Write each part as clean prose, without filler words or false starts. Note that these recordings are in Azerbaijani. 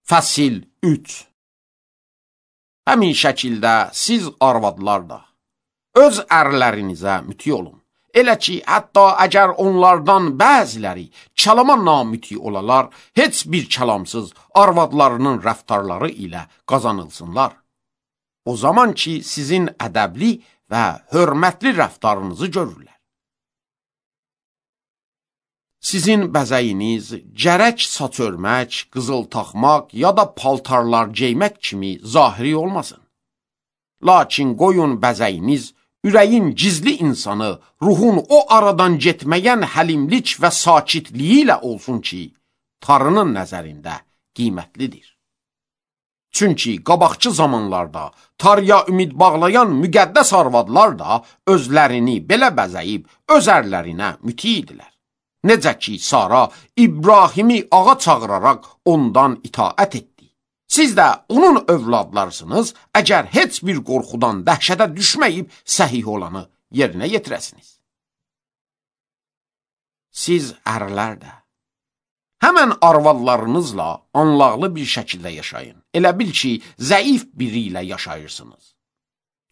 Fəsil 3. Həmin şəkildə siz arvadlar da öz ərlərinizə müti olun. Elə ki, hətta əgər onlardan bəziləri kəlama namüti olalar, heç bir kəlamsız arvadlarının rəftarları ilə qazanılsınlar. O zaman ki, sizin ədəbli və hörmətli rəftarınızı görürlər. Sizin bəzəyiniz gərək saç örmək, qızıl taxmaq ya da paltarlar geymək kimi zahiri olmasın. Lakin qoyun bəzəyiniz ürəyin gizli insanı, ruhun o aradan getməyən həlimlik və sakitliyi ilə olsun ki, Tanrının nəzərində qiymətlidir. Çünki qabaqçı zamanlarda Tanrıya ümid bağlayan müqəddəs arvadlar da özlərini belə bəzəyib öz ərlərinə müti idilər. Necə ki, Sara İbrahimi ağa çağıraraq ondan itaət etdi. Siz də onun övladlarsınız, əgər heç bir qorxudan dəhşətə düşməyib səhih olanı yerinə yetirəsiniz. Siz ərlər də həmən arvadlarınızla anlaqlı bir şəkildə yaşayın. Elə bil ki, zəif biri ilə yaşayırsınız.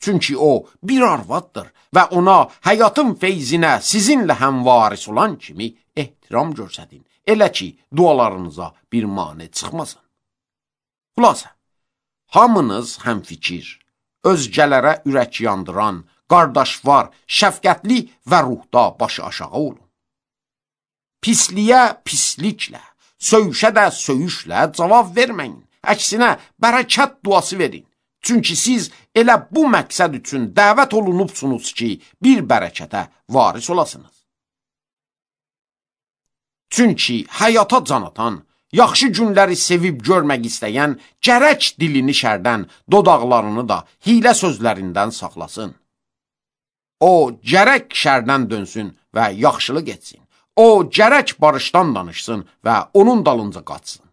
Çünki o bir arvaddır və ona həyatın feyzinə sizinlə həmvaris olan kimi ehtiram göstərin. Elə ki, dualarınıza bir mane çıxmasın. Xülasə, hamınız həmfikir, özgələrə ürək yandıran, qardaşvar, şəfqətli və ruhda başı aşağı olun. Pisliyə pisliklə, söyüşə də söyüşlə cavab verməyin. Əksinə, bərəkət duası verin. Çünki siz elə bu məqsəd üçün dəvət olunubsunuz ki, bir bərəkətə varis olasınız. Çünki həyata can atan, yaxşı günləri sevib görmək istəyən, gərək dilini şərdən, dodaqlarını da hilə sözlərindən saxlasın. O, gərək şərdən dönsün və yaxşılıq etsin. O, gərək barışdan danışsın və onun dalınca qaçsın.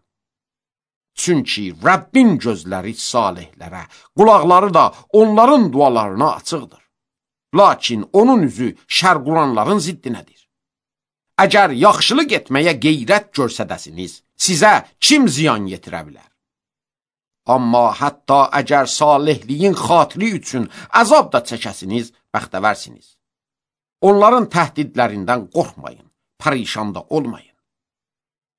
Çünki Rəbbin gözləri salihlərə, qulaqları da onların dualarına açıqdır. Lakin onun üzü şərqulanların ziddinədir. Əgər yaxşılıq etməyə qeyrət görsədəsiniz, sizə kim ziyan yetirə bilər? Amma hətta əgər salihliyin xatiri üçün əzab da çəkəsiniz, bəxtəvərsiniz. Onların təhdidlərindən qorxmayın, pərişan da olmayın.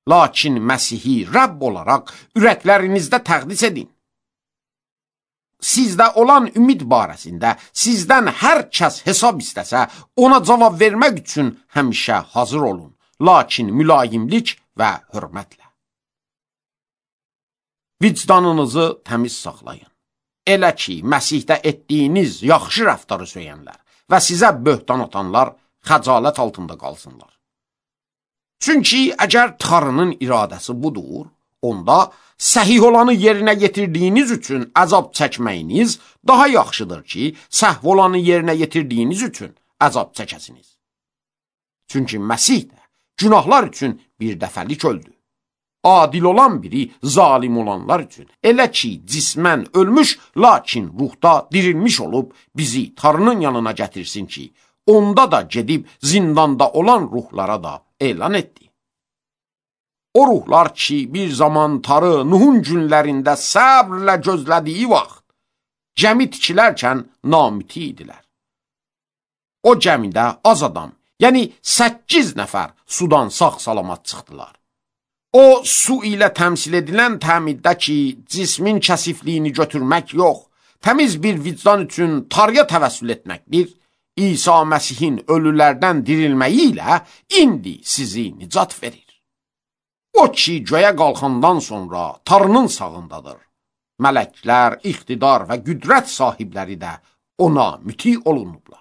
Lakin Məsihi Rəbb olaraq ürəklərinizdə təqdis edin. Sizdə olan ümid barəsində sizdən hər kəs hesab istəsə, ona cavab vermək üçün həmişə hazır olun, lakin mülayimlik və hörmətlə. Vicdanınızı təmiz saxlayın. Elə ki, Məsihdə etdiyiniz yaxşı rəftarı söyənlər və sizə böhtan atanlar xəcalət altında qalsınlar. Çünki əgər Tanrının iradəsi budur, onda səhih olanı yerinə yetirdiyiniz üçün əzab çəkməyiniz daha yaxşıdır ki, səhv olanı yerinə yetirdiyiniz üçün əzab çəkəsiniz. Çünki Məsih də günahlar üçün bir dəfəlik öldü. Adil olan biri zalim olanlar üçün. Elə ki, cismən ölmüş, lakin ruhda dirilmiş olub bizi Tanrının yanına gətirsin ki, onda da gedib zindanda olan ruhlara da elan etdi. O ruhlar ki, bir zaman Tanrı Nuhun günlərində səbrlə gözlədiyi vaxt, gəmi tikilərkən namüti idilər. O gəmidə az adam, yəni 8 nəfər sudan sağ-salamat çıxdılar. O, su ilə təmsil edilən təmiddə ki, cismin kəsifliyini götürmək yox, təmiz bir vicdan üçün Tanrıya təvəssül etməkdir, İsa Məsihin ölülərdən dirilməyi ilə indi sizi nicat verir. O ki, göyə qalxandan sonra Tanrının sağındadır. Mələklər, iqtidar və qüdrət sahibləri də ona müti olunublar.